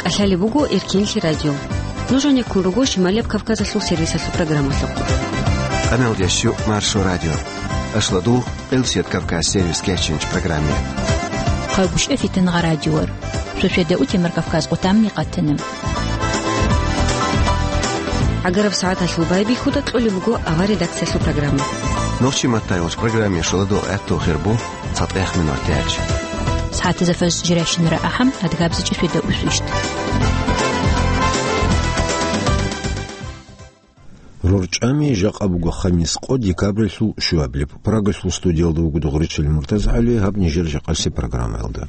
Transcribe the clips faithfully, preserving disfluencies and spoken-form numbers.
КӀалъалеб буго Эркенлъи радио. Нуж гьанеккун руго Шималияб Кавказалъул сервисалъул программалъухъ. Къаналдеш юкъ Маршо радио. Ашладул, Къилсият Кавказ сервис кечинч программе. Хъагушев Фитингъа радиор. Шошеда утемар Кавказ къутамни къатана. ГӀагараб сагӀаталъул байбихьуда кьолеб буго авар редакциялъул программа. Нохчи маттайолч программе шоладо гӀатту хирбу. ЦатӀехъ минутач. СагӀатазда фажр жирайщинара ахӀам, адгабзичӀи шведа усвищт. РорчӀами жакъа буго хамис къо декабралъул щуабилеб. Прагалъул студиялда вуго Дугъричил МуртазгӀали, гьаб нижер жакъаси программаялда.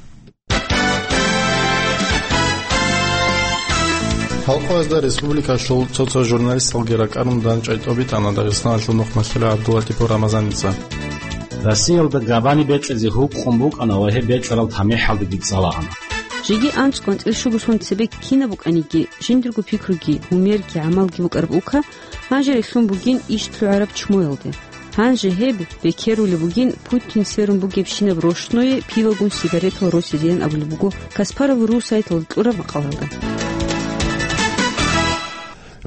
Халкъоязда республикалъул цо-цо журналисталги ракӀарун дандчӀвай тӀобитӀана Дагъистаналъул нухмалъулев ГӀабдуллатӀипов Рамазаница. Россиялда габани бекьизе гьукъун букӀана ва гьеб бекьарал тамихӀалдаги цӀалаана. Жеги анцӀго-анцӀила щугусун цебе кинаб букӀаниги, жиндирго пикруги, гьумерги, гӀамалги букӀараб улка гьанже релълъун бугин иш лъугӀараб чмуялде. Гьанже гьеб бекерулеб бугин Путин сверун бугебщинаб рощное пивагун сигаретал росизе ян абулеб буго Каспаров ру сайталда кьураб макъалалда.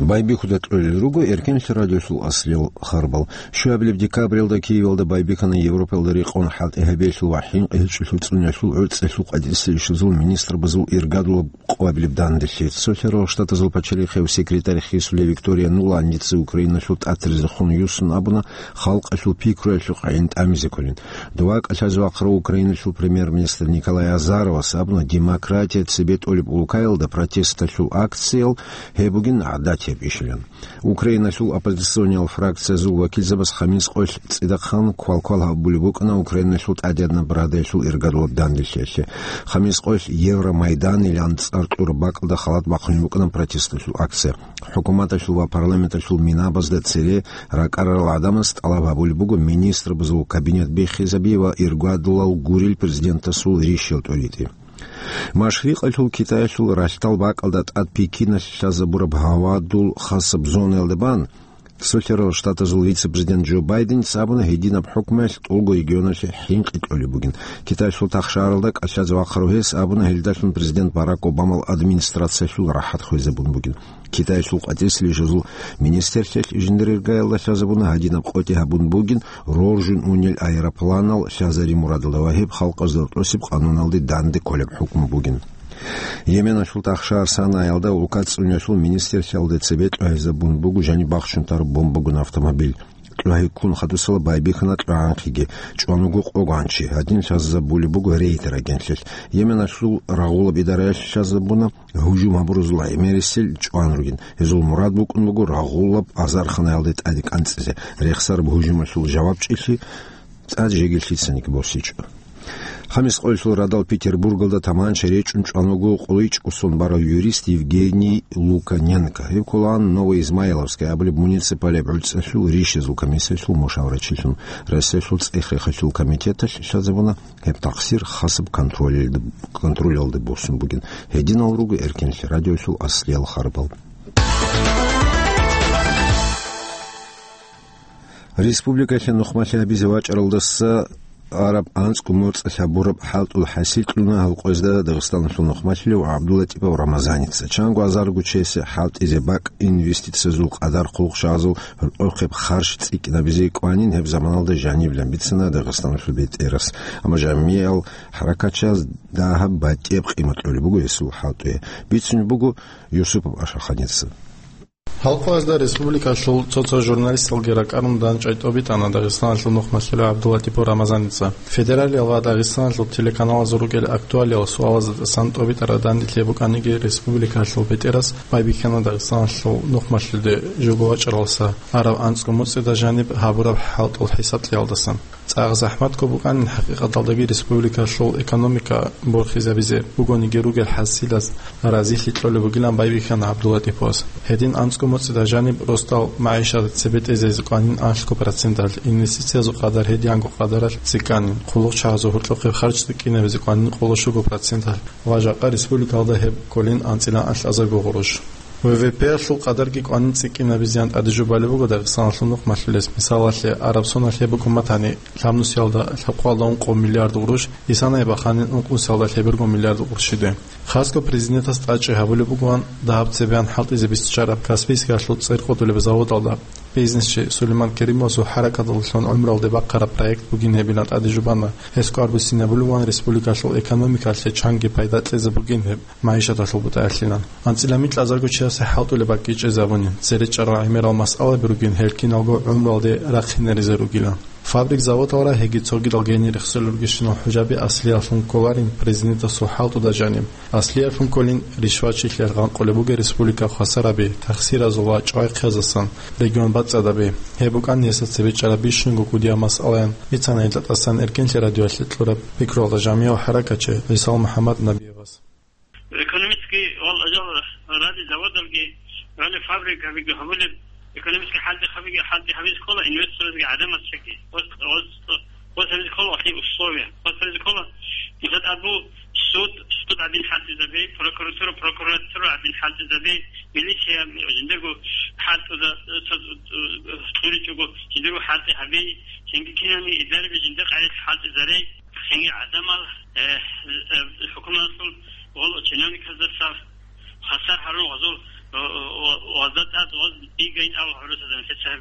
Байбихьуда кьолел руго Эркенлъи радиолъул аслиял харбал. Щуабилеб декабралда Киевалда байбихьана Европалда рекъон хӀалтӀи гьабиялъул ва хӀинкъи гьечӀолъул цӀуниялъул гӀорцӀалъул къватӀиса ишазул министрабазул иргадулаб къвабилеб данделъи. Цолъарал Штатазул пачалихъев секретарь хисулев Виктория Нуланница Украиналъул тӀатаризехун юсун абуна халкъалъул пикруялъухъ гӀин тӀамизе кколин. Дова кӀалъазе вахъарав Украиналъул премьер-министр Николай Азаровас абуна, демократия цебетӀолеб улкаялда протесталъул акциял гьеб бугин гӀадатияб ишилан. Украиналъул оппозициониял фракциязул вакилзабаз хамис къоялъ цӀидахъан квалквал гьабулеб букӀана Украиналъул ТӀадегӀанаб Радалъул иргадулаб данделъиялъе. Хамис къоялъ Евромайдан илан цӀар кьураб бакӀалда халат бахъунеб букӀана протесталъул акция. ХӀукуматалъул ва парламенталъул минабазда цере ракӀарарал гӀадамаз тӀалаб гьабулеб буго министрабазул кабинет биххизаби ва иргадулал гурел президентасул рищал тӀуритӀи. Машрикъалъул Китаялъул ралъдал бакӀалда тӀад Пекиналъ лъазабураб гьавадул хасаб зонаялда бан, Цолъарал Штатазул вице-президент Джо Байденица абуна, гьединаб хӀукмуялъ тӀолго регионалъе хӀинкъи кьолеб бугин. Китаялъул тахшаралда кӀалъазе вахъарав гьес абуна, гьелдалъун президент Барак Обамал администрациялъул рахӀат хвезабун бугин. Китаялъул къватӀиса ишазул министрлъиялъ жиндир иргаялда лъазабуна, гьадинаб къотӀи гьабун бугин роржун унел аэропланал лъазари мурадалда ва гьеб халкъазда тӀосиб къануналде данде кколеб хӀукму бугин. Йеменалъул тахшар Санаялда улка цӀуниялъул министрлъиялда цебе тӀогьизабун буго жаниб бахчун тараб бомбагун автомобиль. ТӀогьи ккун хадусала байбихьана тӀогӀанхъиги, чӀван вуго къо гванчи, гьадин лъазабулеб буго рейтер агентлъилъ. Йеменалъул рагъулаб идараялъ лъазабуна гьужум гьабуразул гӀемерисел чӀван ругин. Гьезул мурад букӀун буго рагъулаб азарханаялде тӀаде кӀанцӀизе, рехсараб гьужумалъул жавабчӀилъи тӀад жеги лъицаниги босичӀо. Хамис къоялъул радал Петербургалда таманча речӀчӀун чӀван вуго къуличӀ кӀусон барав юрист Евгений Луканенко. Гьев кколаан Новоизмайловская абулеб муниципалияб гӀуцӀалъул рищазул комиссиялъул мушаврачилъун. Россиялъул цӀех-рехалъул комитеталъ лъазабуна, гьеб такъсир хасаб контролялде, контролялде босун бугин. Гьединал руго Эркенлъи радиолъул аслиял харбал. Республикалъе нухмалъи гьабизе вачӀаралдаса араб анцӀго моцӀалъ гьабураб хӀалтӀул хӀасил кьуна гьалкъоязда Дагъистаналъул нухмалъулев ГӀабдуллатӀипов Рамазаница. Чанго азарго чиясе хӀалтӀизе бакӀ, инвестициязул къадар, хъулухъчагӀазул гьоркьохъеб харж цӀикӀкӀинабизе кӀванин гьеб заманалда жанибилан бицана Дагъистаналъул бетӀерас. Амма жамигӀал хӀаракатчияз дагьаб батӀияб къимат кьолеб буго гьесул хӀалтӀуе. Бицунеб буго Юсупов Ашаханица. Халкъоязда республикалъул цо-цо журналисталги ракӀарун дандчӀвай тӀобитӀана Дагъистаналъул нухмалъулев ГӀабдуллатӀипов Рамазаница. Федералиял ва Дагъистаналъул телеканалазул ругел актуалиял суалазда тӀасан тӀобитӀараб данделъи букӀаниги, республикалъул бетӀерас байбихьана Дагъистаналъул нухмалъулде жого вачӀаралдаса араб анцӀго моцӀида жаниб гьабураб хӀалтӀул хӀисаблъиялдасан. ЦӀакъ захӀматго букӀанин хӀакъикъаталдаги республикалъул экономика борхизабизе, бугониги ругел хӀасилаз разилъи кьолеб бугилан байбихьана ГӀабдуллатӀиповас. Гьедин анцӀго моцӀида жаниб росдал магӀишат цебетӀезезе кӀванин анлъго проценталъ, инвестициязул къадар гьедианго къадаралъ цӀикӀкӀанин, хъулухъчагӀазул гьоркьохъеб харж цӀикӀкӀинабизе кӀванин къоло щуго проценталъ ва жакъа республикалда гьеб кколин анцӀила анлъазарго гъурущ. В В П-ялъул къадарги кӀванин цӀикӀкӀинабизеян тӀаде жубалеб буго Дагъистаналъул нухмалъулес. Мисалалъе, Арабсоналъ гьеб букӀун батани, лъабнусиялда лъабкъоялда ункъо миллиард гъурущ, исана гьеб бахъанин ункънусиялда лъеберго миллиард гъурущ жиде. Хасго президентас тӀадчӀи гьабулеб бугоан дагьаб цебеян хӀалтӀизе биччараб Каспийскиялъул цӀер къотӀулеб заводалда бизнесчи Сулейман Керимовасул хӀаракаталъун гӀумралде бахъараб проект бугин гьебилан тӀаде жубана. Гьес кӀвар буссинабулеван республикалъул экономикалъе чанги пайда кьезе бугин гьеб магӀишаталъул бутӀаялъилан. АнцӀила микьа азарго чиясе хӀалтӀулеб бакӀги чӀезабуни, цере чӀарал гӀемерал масъалаби ругин гьел киналго гӀумралде рахъинаризе ругилан. Фабрик-заводалра гьеги цогидал гьенир рехсолел ругещинал хӀужаби аслиялъун кколарин президентасул хӀалтӀуда жаниб. Аслиялъун кколин ришвачилъи гъанкъулеб бугеб республика хвасараби, тахсиразул ва чӀвайхъязасан регион бацӀцӀадаби. Гьеб букӀан гьесда цебе чӀараб бищунго кӀудияб масъалаян бицана гьелда тӀасан Эркенлъи радиоялъе кьураб пикруялда жамигӀав хӀаракатчи ГӀисал МухӀаммад Набиевас. Экономический вал ажал ради заводалги, гьале фабрикабиги гьабулеб, экономический хӀалтӀи хабиги, хӀалтӀи гьабизе ккола инвесторазги гӀадамазги. Ос, ос, ос гьабизе ккола ахир условия. Ос гьабизе ккола, мисал, абу суд, суд гӀадин хӀалтӀизабе, прокуратура, прокуратура гӀадин хӀалтӀизабе, милиция жиндего хӀалтӀуда, цо-, цо-, цо-, цӀуричӀого, жиндего хӀалтӀи гьабе, цинги кинани идараби жинда къайилъ хӀалтӀизаре. Цинги гӀадамал, э, э, хӀукуматалъул гъол чиновниказдаса хвасар гьарун гъазул, э, э, вазда тӀад ваз бигайин абу гьабурасадан гьесаб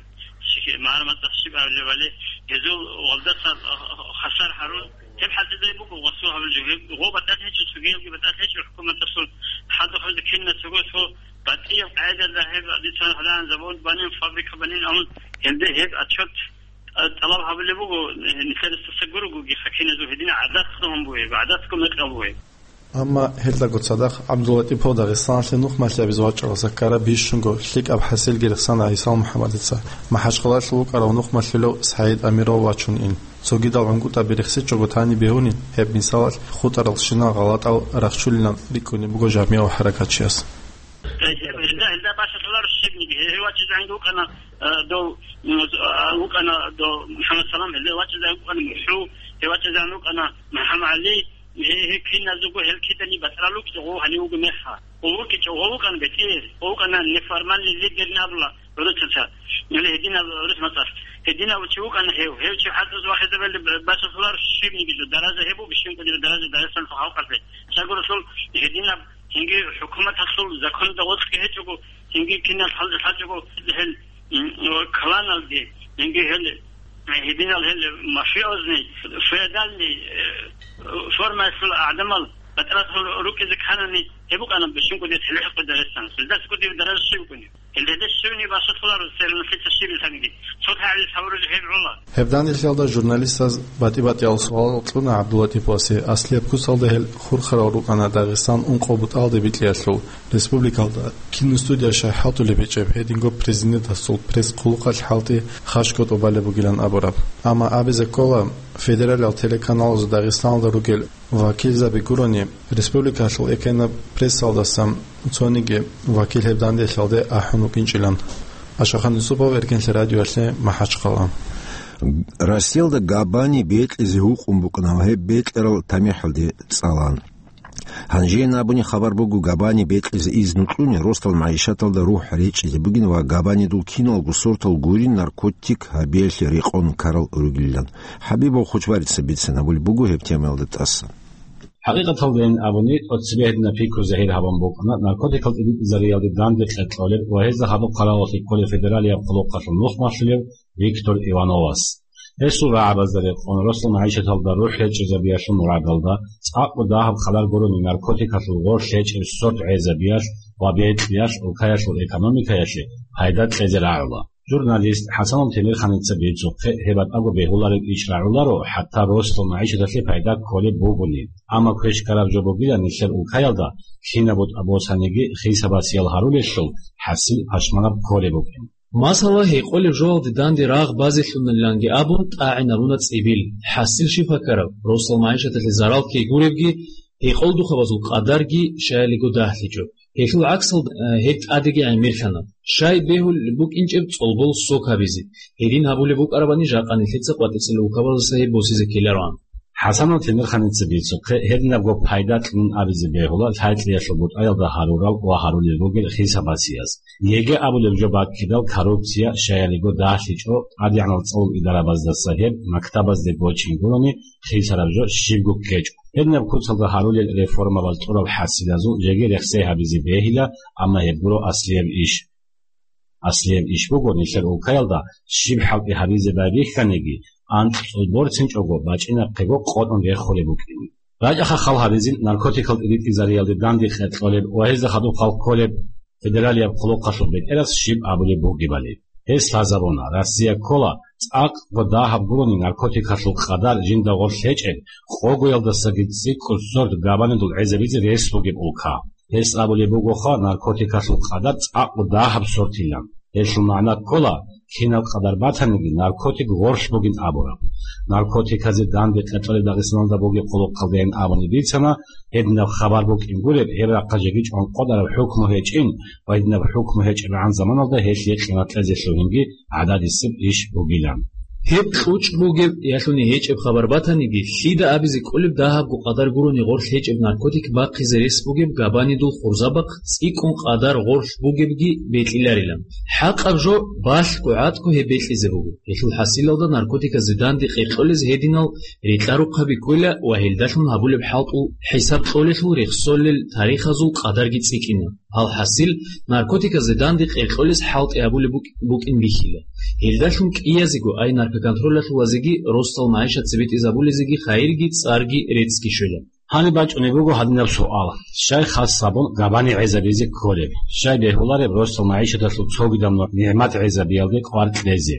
шики-, магӀарматда щиб абулебали, гьезул валдаса, э, хвасар гьарун, гьеб хӀалтӀизари буго васул гьабулеб жо. Гьеб гъо батӀалъи гьечӀо, цогиябги батӀалъи гьечӀо хӀукуматалъул, хадуб гьабизе кинаб цого цо батӀияб къагӀидаялда гьеб дицан гьалан завод банин, фабрика банин абун, гьелде гьеб отчет, э, тӀалаб гьабулеб буго, э, нилъер ресурсалъ гурогуги, хакиназул гьедина гӀадатго гьун бугеб, гӀадатго мекъал бугеб. Амма гьелдаго цадахъ ГӀабдуллатӀипов Дагъистаналъе нухмалъи гьабизе вачӀаралдаса ккараб бищунго лъикӀаб хӀасилги рехсана ГӀисал МухӀаммадица. МахӀачхъалалъув вукӀарав нухмалъулев СагӀид Амиров вачун ин. Цогидал гӀунгутӀаби рехсичӀого тани бегьунин, гьеб мисалалъ хутӀаралщинал гъалатӀал рахчулилан рикӀкӀунеб буго жамигӀав хӀаракатчияс. Гьелда, гьелда башалъуларо щибниги. Гьев вачӀинчӀого вукӀана, э, дов, м, а, вукӀана дов МухӀаммад Салам, гьелда вачӀинчӀого вукӀана МухӀу, гьев вачӀинчӀого вукӀана МухӀаммад ГӀали, гье-, гье киназего гьел кидани батӀрал рукӀчӀого гьанив вуго мехха. Гъов вукӀинчӀо, гъов вукӀана бетӀер, гъов вукӀана неформальный лидер набула гӀурусаца, или гьединаб гӀурус мацӀалъ. Гьединав чи вукӀана гьев, гьев чи хӀалтӀуз вахизабали б-, башалъуларо щибниги жо, даража гьеб буго, бищунго даража Дагъистаналъул халкъалъе. Чагуралъул гьединаб Цинги хӀукуматалъул законалда гъоркьги гьечӀого, цинги кинал лъал-, лъачӀого гьел, м, кланалги, цинги гьел, э, гьединал гьел мафиозный, феодальный, э, формаялъул гӀадамал батӀралъул рукӀизе кканани, гьеб букӀана бищунго дир телехӀахъе Дагъистан. Гьелдаса кӀудияб даража щиб букӀунеб? Гьелда гьедин щибни башалъуларо, церан лъица щиб бусаниги. Цо тагӀибил гьабураб гьеб гӀула. Гьеб данделъиялда журналистаз батӀи-батӀиял суалал кьуна ГӀабдуллатӀиповасе. Аслияб куцалда гьел хурхарал рукӀана Дагъистан ункъо бутӀалде бикьиялъул. Республикалда киностудия щай хӀалтӀулеб гьечӀеб, гьединго президентасул пресс-хъулухъалъ хӀалтӀи хашго тӀубалеб бугилан абураб. Амма абизе ккола, федералияб телеканалазул Дагъистаналда ругел вакилзаби гурони, республикалъул экенаб прессалдасан цониги вакил гьеб данделъиялде ахӀун вукӀинчӀилан. Ашахан Юсупов, Эркенлъи радиоялъе, МахӀачхъала. Россиялда габани бекьизе гьукъун букӀана гьеб бекьарал тамихӀалде цӀалан. Гьанже абуни хабар буго, габани бекьизе изну кьуни росдал магӀишаталда рухӀ речӀчӀизе бугин ва габанидул киналго сортал гурин наркотик гьабиялъе рекъон ккарал ругилан. ХӀабибов Хочбарица бицинабулеб буго гьеб темаялда тӀасан. ХӀакъикъаталдайин абуни, тӀоцебе гьединаб пикру загьир гьабун букӀана наркотикал тӀибитӀизариялде данде кьекьолеб ва гьезда гьабухъ хъаравуллъи кколеб федералияб хъулухъалъул нухмалъулев Виктор Ивановас. Гьесул рагӀабазда рекъон, росдал магӀишаталда рухӀ речӀчӀизабиялъул мурадалда, цӀакъго дагьаб хъалар гурони наркотикалъул гъор лъечӀеб сорт гӀезабиялъ ва бекьиялъ улкаялъул экономикаялъе пайда кьезе рагӀула. Журналист ХӀасанов Темирханица бицухъе, гьеб батӀаго бегьулареб иш рагӀуларо, хӀатта росдал магӀишаталъе пайда кколеб бугони. Амма квеш ккараб жо бугилан нилъер улкаялда кинаб бутӀа босаниги хисабасиял гьарулелъул хӀасил пашманаб кколеб букӀин. Масала, гьекъолеб жоялде данде рагъ базелъуналиланги абун тӀагӀинаруна цӀибил. ХӀасил щиб ккараб, росдал магӀишаталъе зарал ккей гуребги, гьекъолдухъабазул къадарги щаялиго дагьлъичӀо. Гьелъул гӀаксалда, э, гьеб тӀадеги гӀемерлъана. Щай бегьулеб букӀинчӀеб цӀолбол сок гьабизе. Гьедин гьабулеб букӀарабани жакъа нилъеца къватӀицӀил улкабаздаса гьеб босизе ккелароан. ХӀасанов Темирханица бицухъе, гьединабго пайда кьунин абизе бегьула лъай-кьеялъул бутӀаялда гьарурал ва гьарулел ругел хисаб-басияз. Еги абулеб жо баккидал коррупция, щаяриго дагьлъичӀо, тӀадегӀанал цӀолул идарабаздаса гьеб мактабазде гочин гурони, хисараб жо щибго ккечӀо. Гьединаб куцалда гьарулел реформабаз тӀураб хӀасилазул жеги рехсей гьабизе бегьила, амма гьеб гуро аслияб иш. Аслияб иш буго, нилъер улкаялда щиб хӀалтӀи гьабизе байбихьаниги, анкьцӀул борцинчӀого, бачӀинахъего къотӀун рехулеб букӀин. РачӀаха хал гьабизин наркотикал тӀиритӀизариялде данде кьекьолеб ва гьезда хадуб хал кколеб федералияб хъулухъалъул бетӀерас щиб абулеб бугебали. Гьес лъазабуна, Россия ккола цӀакъго дагьаб гурони наркотикалъул къадар жинда гъорлъ гьечӀеб, къогоялдасаги цӀикӀкӀун сорт габанидул гӀезабизе рес бугеб улка. Гьес абулеб бугоха, наркотикалъул къадар цӀакъго дагьаб сортилан. Гьелъул магӀна ккола, кинаб къадар батаниги, наркотик гъорлъ бугин абураб. Наркотиказе данде кьекьолеб Дагъистаналда бугеб хъулухъалдайин абуни бицана, гьединаб хабар букӀин гуреб, гьеб рахъа жеги чӀван къотӀараб хӀукму гьечӀин ва гьединаб хӀукму гьечӀебгӀан заманалда гьелъие къимат кьезе лъугьинги гӀададисеб иш бугилан. Гьеб кьучӀ бугеб, ялъуни гьечӀеб хабар батаниги, лъида абизе кӀолеб дагьабго къадар гурони гъорлъ гьечӀеб наркотик бахъизе рес бугеб габанидул хурзабахъ цӀикӀкӀун къадар гъорлъ бугебги бекьиларилан. ХӀакъаб жо, балъго гӀатӀго гьеб бекьизе буго. Гьелъул хӀасилалда наркотиказде данде кьекьолез гьединал рекьа-рухъаби ккола ва гьелдалъун гьабулеб хӀалтӀул хӀисаб кьолелъул рехсолел тарихазул къадарги цӀикӀкӀина. Алхасил, наркотиказде данде кьекьолез хӀалтӀи гьабулеб букӀ-, букӀин бихьила. Гьелдалъун кӀиязего, ай наркоконтролалъул вазеги, росдал магӀишат цебетӀезабулезеги хайирги цӀарги реццги щвела. Гьаниб бачӀунеб буго гьадинаб суал: щай хас гьабун габани гӀезабизе кколеб? Щай бегьулареб росдал магӀишаталъул цогидаб нугӀ-, нигӀмат гӀезабиялде кӀвар кьезе?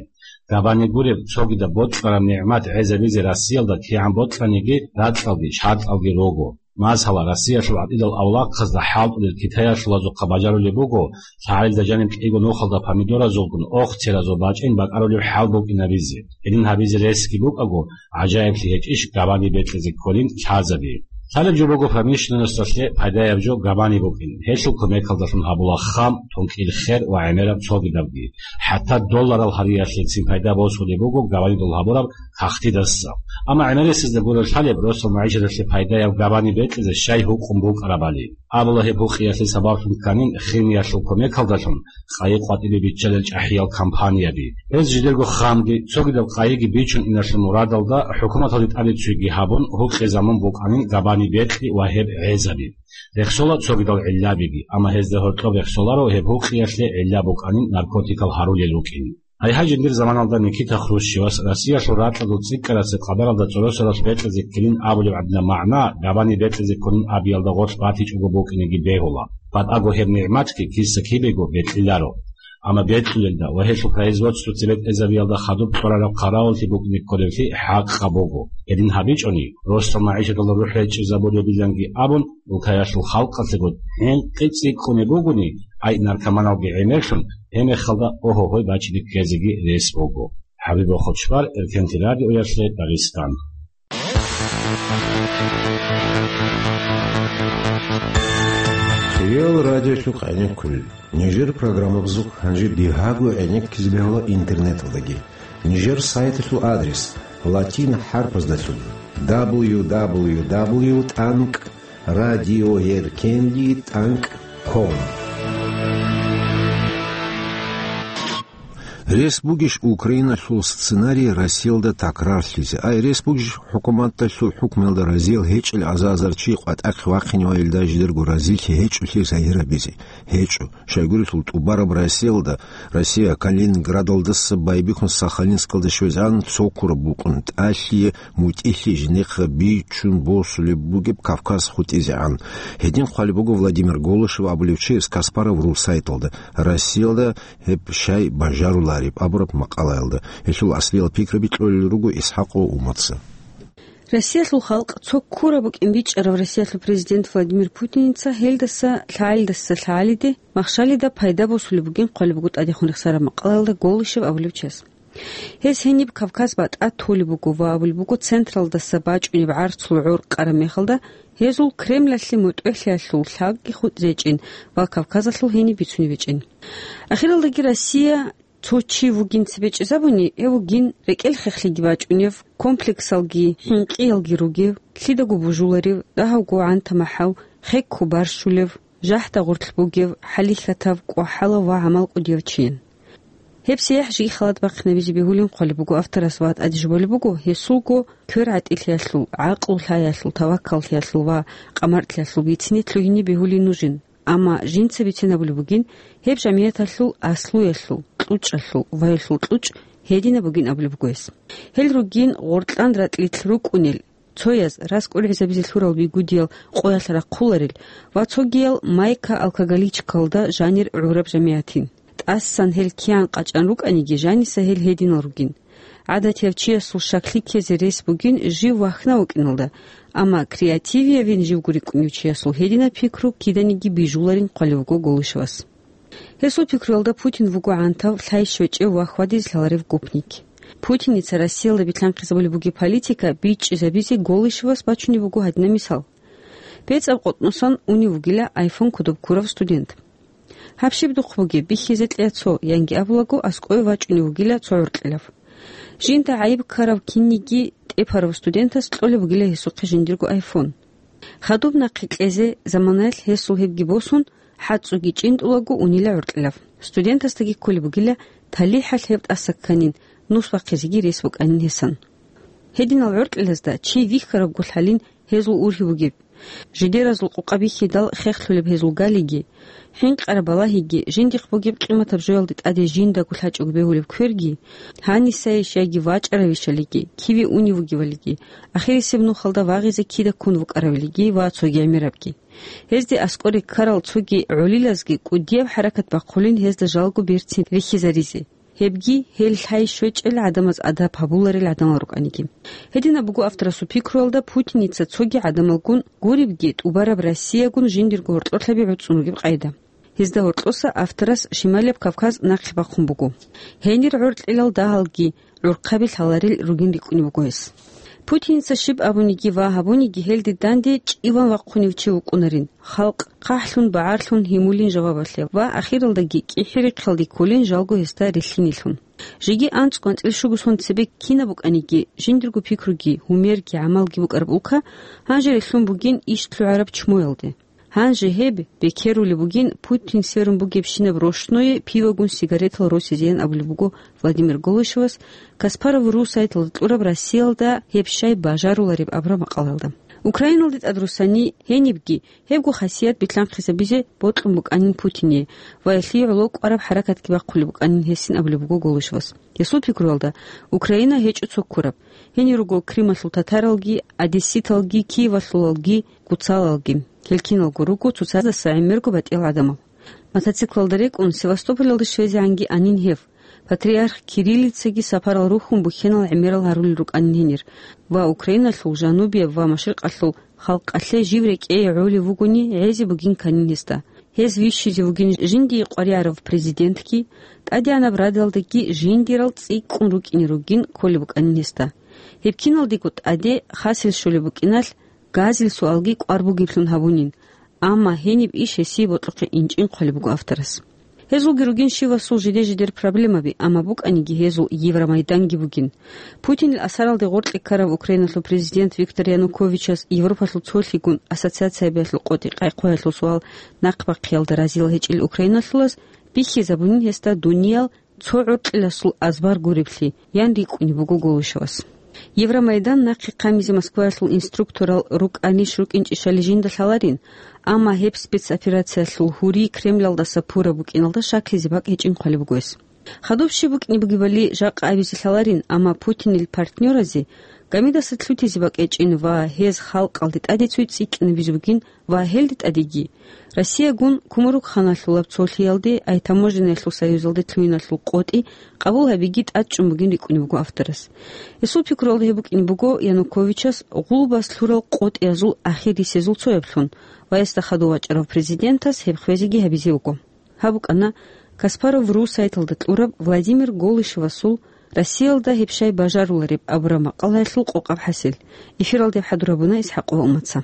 Габани гуреб, цогидаб бокьараб нигӀмат гӀезабизе Россиялда кигӀан бокьаниги ракьалги шартӀалги руго. Масала, Россиялъул гӀатӀидал авлахъазда хӀалтӀулел китаялъулазухъа бажарулеб буго, лъагӀалида жаниб кӀиго нухалда помидоразулгун, охцеразул бачӀин бакӀарулеб хӀал букӀинабизе. Гьедин гьабизе ресги букӀаго, гӀажаиблъи гьечӀищ габани бекьизе кколин лъазаби. Лъалеб жо буго промышленносталъе пайдаяб жо габани букӀин. Гьелъул кумекалдалъун гьабула хам, тункӀил хер ва гӀемераб цогидабги. ХӀатта долларал гьариялъецин пайда босулеб буго габанидул гьабураб кагътидаса. Амма гӀемерисезда гурелъ лъалеб росдал магӀишаталъе пайдаяб габани бекьизе щай гьукъун букӀарабали. Абула гьеб гьукъиялъе сабаблъун кканин химиялъул кумекалдалъун къайи къватӀибе биччалел чӀахӀиял компанияби. Гьез жидерго хамги, цогидаб къайиги бичун иналъул мурадалда хӀукуматалде тӀадеццуйги гьабун, гьукъи замун букӀанин габани бекьи ва гьеб гӀезаби. Рехсола цогидал гӀиллабиги, амма гьезда гьоркьоб рехсоларо гьеб гьукъиялъе гӀилла букӀанин наркотикал гьарулел рукӀин. Гьайгьай, жиндир заманалда Никита Хрущевас Россиялъул ракьалъул цӀикӀкӀарасеб къадаралда цӀоросаралъ бекьизе ккелин абулеб гӀадинаб магӀна габани бекьизе кколин абиялда гъорлъ батичӀого букӀинеги бегьула. БатӀаго гьеб нигӀматги киса-кибего бекьиларо. Амма бекьулелда ва гьелъул производство цебетӀезабиялда хадуб кьурараб хъаравуллъи букӀине кколеблъи хӀакъаб буго. Гьедин гьабичӀони, росдал магӀишаталда рухӀ гьечӀезабулебиланги абун, улкаялъул халкъалъего хӀинкъи цӀикӀкӀунеб бугони, ай наркоманалги гӀемерлъун, гьеб мехалда гьо-гьогьой бачине ккезеги рес буго. ХӀабиб Хучбар, Эркенти радиоялъе, Дагъистан. Хириял радиолъухъ гӀенеккулел. Нижер программабазухъ гьанже бигьаго гӀенеккизе бегьула интернеталдаги. Нижер сайталъул адрес латин хӀарпаздалъун: дабл ю дабл ю дабл ю тӀанкӀ радиоеркенли тӀанкӀ ком. Рес бугищ Украиналъул сценарий Россиялда такрарлъизе? Ай, рес бугищ хӀукуматалъул хӀукмуялда разиял гьечӀел аза-азар чи къватӀахъе вахъиневайилда жидерго разилъи гьечӀолъи загьирабизе? ГьечӀо. Щайгурелъул тӀубараб Россиялда, Россия Калининградалдаса байбихьун Сахалинскалда щвезегӀан цо ккураб букӀун, тӀалъие мутӀигьлъи жинехъа бичун босулеб бугеб Кавказ хутӀизегӀан. Гьедин хъвалеб буго Владимир Голышев абулев чияс Каспаров ру сайталда, Россиялда гьеб щай бажарулареб абураб макъалаялда. Гьелъул аслиял пикраби кьолел руго ИсхӀакъов Уматца. Россиялъул халкъ цо ккураб букӀин бичӀчӀарав Россиялъул президент Владимир Путиница гьелдаса лъагӀалидаса лъагӀалиде махщалида пайда босулеб бугин хъвалеб буго тӀадехун рехсараб макъалаялда Голышев абулев чияс. Гьез гьениб Кавказ батӀа толеб буго ва абулеб буго, централдаса бачӀунеб гӀарцул гӀор къараб мехалда, гьезул Кремлалъе мутӀигӀлъиялъул лъагги хутӀизечӀин ва Кавказалъул гьениб бицунеб гьечӀин. Ахиралдаги Россия Цо чи вугин цебе чӀезабуни, гьев вугин рекӀел хехлъиги бачӀунев, комплексалги, хӀинкъиялги ругев, лъидаго бужуларев, дагьавго гӀанта-махӀав, хекко барщулев, жахӀда гъорлъ бугев, хӀалихьатав, кӀвахӀалав ва гӀамал кӀудияв чиян. Гьеб сияхӀ жеги халат бахъинабизе бегьулин хъвалеб буго авторас ва тӀаде жубалеб буго, гьесулго квер гӀатӀилъиялъул, гӀакълу лъаялъул, таваккаллъиялъул ва къамартлъиялъул бицине лъугьине бегьулин нужин. Амма жинца бицинабулеб бугин, гьеб жамигӀаталъул аслуялъул, кьучӀалъул, ваялъул кьучӀ гьединаб бугин абулеб буго гьес. Гьел ругин гъоркьан ратӀлилъ рукӀунел, цояз раскӀургӀизабизе лъурал бигудиял къоялъ рахъуларел ва цогиял майка-алкоголичкалда жанир гӀураб жамигӀатин. ТӀасан гьел киян къачӀан рукӀаниги, жаниса гьел гьединал ругин. ГӀадатияв чиясул щаклъи ккезе рес бугин жив вахьна вукӀиналда, амма креативиявин живго рикӀкӀунев чиясул гьединаб пикру киданиги бижуларин хъвалев вуго Голышевас. Гьесул пикруялда Путин вуго гӀантав, лъай-щвечӀев ва хьвадизе лъаларев гопник. Путиница Россиялда билълъанхъизабулеб бугеб политика бичӀчӀизабизе Голышевас бачунеб буго гьадинаб мисал. БецӀаб къотӀносан унев вугила iPhone кодоб ккурав студент. Гьаб щиб духъ бугеб, бихьизе кьея цо, янги абулаго, аскӀове вачӀунев вугила цо гӀоркьилав. Жинда гӀайиб ккарав кинниги тӀепарав студентас кьолеб бугила гьесухъе жиндирго iPhone. Хадуб нахъе кьезе заманаялъ гьесул гьебги босун, хӀацӀцӀуги чӀинтӀулаго унила гӀоркьилав. Студентасдаги кколеб бугила, талихӀалъ гьеб тӀаса кканин, нус бахъизеги рес букӀанин гьесан. Гьединал гӀоркьилазда чи вихьарабго лъалин гьезул ургьиб бугеб. Жидеразул къукъа бихьидал хехлъулеб гьезул галиги, хӀинкъараб балагьиги, жиндихъ бугеб къиматаб жоялде тӀаде жиндаго лъачӀого бегьулеб кверги, гьанисайищ яги вачӀаравищалиги, киве унев вугевалиги, ахирисеб нухалда вагъизе кида ккун вукӀаравилиги ва цоги гӀемерабги. Гьезде аскӀоре ккарал цоги гӀолилазги кӀудияб хӀаракат бахъулин гьезда жалго берцин рихьизаризе. Гьебги гьел лъай-щвечӀел гӀадамаз адаб гьабуларел гӀадамал рукӀаниги. Гьединаб буго авторасул пикруялда Путиница цоги гӀадамалгун гуребги тӀубараб Россиягун жиндирго гьоркьолъаби гӀуцӀун ругеб къайда. Гьезда гьоркьоса авторас Шималияб Кавказ нахъе бахъун буго. Гьенир гӀоркьилал дагьалги гӀурхъаби лъаларел ругин рикӀкӀунеб буго гьес. Путиница щиб абуниги ва гьабуниги гьелде данде чӀиван вахъунев чи вукӀунарин, халкъ хъахӀлъун, багӀарлъун гьимулин жавабалъе ва ахиралдаги кӀихӀи-рихъалде кколин жалго гьесда рилълъинилъун. Жеги анцӀго-анцӀила щуго сон цебе кинаб букӀаниги, жиндирго пикруги, гьумерги, гӀамалги букӀараб улка гьанже релълъун бугин иш лъугӀараб чмоялде. Гьанже гьеб бекерулеб бугин Путин сверун бугебщинаб рощное пивогун сигаретал росизеян абулеб буго Владимир Голышевас, Каспаров ру сайталда кьураб Россиялда гьеб щай бажарулареб абураб макъалалда. Украиналде тӀадрусани гьенибги гьебго хасият билълъанхъизабизе бокьун букӀанин Путине ва гьелъие гӀоло кӀвараб хӀаракатги бахъулеб букӀанин гьесин абулеб буго Голышевас. Гьесул пикруялда, Украина гьечӀо цо ккураб. Гьенир руго Крымалъул татаралги, одесситалги, Киевалъулалги, гуцалалги. Гьел киналго руго цоцаздаса гӀемерго батӀиял гӀадамал. Мотоциклалда рекӀун Севастополалде щвезегӀанги анин гьев. Патриарх Кириллицаги сапарал рухьун бухьенал гӀемерал гьарулел рукӀанин гьенир ва Украиналъул жанубияб ва машрикъалъул халкъалъе жив рекӀее гӀолев вугони гӀезе бугин кканин гьесда. Гьез вищизе вугин жиндие къваригӀарав президентги, тӀадегӀанаб радалдаги жиндирал цӀикӀкӀун рукӀине ругин кколеб букӀанин гьесда. Гьеб киналдего тӀаде хасел щолеб букӀиналъ, газил суалги кӀвар бугеблъун гьабунин, амма гьениб иш гьесие бокьухъе инчӀин хъвалеб буго авторас. Гьезулги ругин щивасул жиде-жидер проблемаби, амма букӀаниги гьезул Евромайданги бугин. Путинил асаралде гъоркье ккарав Украиналъул президент Виктор Януковичас Европалъул цолъигун ассоциациябиялъул къотӀи къайхъуялъул суал нахъбахъиялда разилал гьечӀел украиналъулаз бихьизабунин гьесда дуниял цо гӀоркьиласул азбар гуреблъи, ян рикӀкӀунеб буго Голышевас. Евромайдан нахъе хъамизе Москваялъул инструкторал рукӀанищ-рукӀинчӀищали жинда лъаларин, амма гьеб спецоперациялъул гьури Кремлалдаса пураб букӀиналда щаклъизе бакӀ гьечӀин хъвалеб буго гьес. Хадуб щиб букӀине бугебали жакъа абизе лъаларин, амма Путинил партнёразе гамидаса лъутизе бакӀ гьечӀин ва гьез халкъалде тӀаде цуй цӀикӀкӀинабизе бугин ва гьелде тӀадеги Россиягун Кумурукханалъулаб цолъиялде, ай таможеннаялъул союзалде лъугьиналъул къотӀи къабул гьабиги тӀадчӀун бугин рикӀкӀунеб буго авторас. Гьесул пикруялда гьеб букӀине буго Януковичас гъулбас лъурал къотӀиязул ахирисезул цояблъун ва гьесда хадув вачӀарав президентас гьеб хвезеги гьабизе вуго. Гьаб букӀана Каспаров ру сайталда кьураб Владимир Голышевасул Россиялда гьеб щай бажарулареб абураб макъалаялъул къокъаб хӀасил. Эфиралда гьеб хӀадур гьабуна Исхакъова Умаца.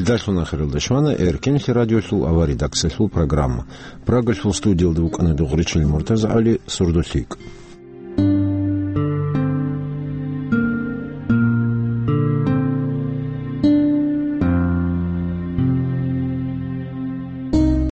Дарсун ахиралда щвана Эркенлъи радиолъул авария редакциялъул программа. Прагалъул студиялда вукӀана Дугъричил МуртазагӀали, «Сурдулъ».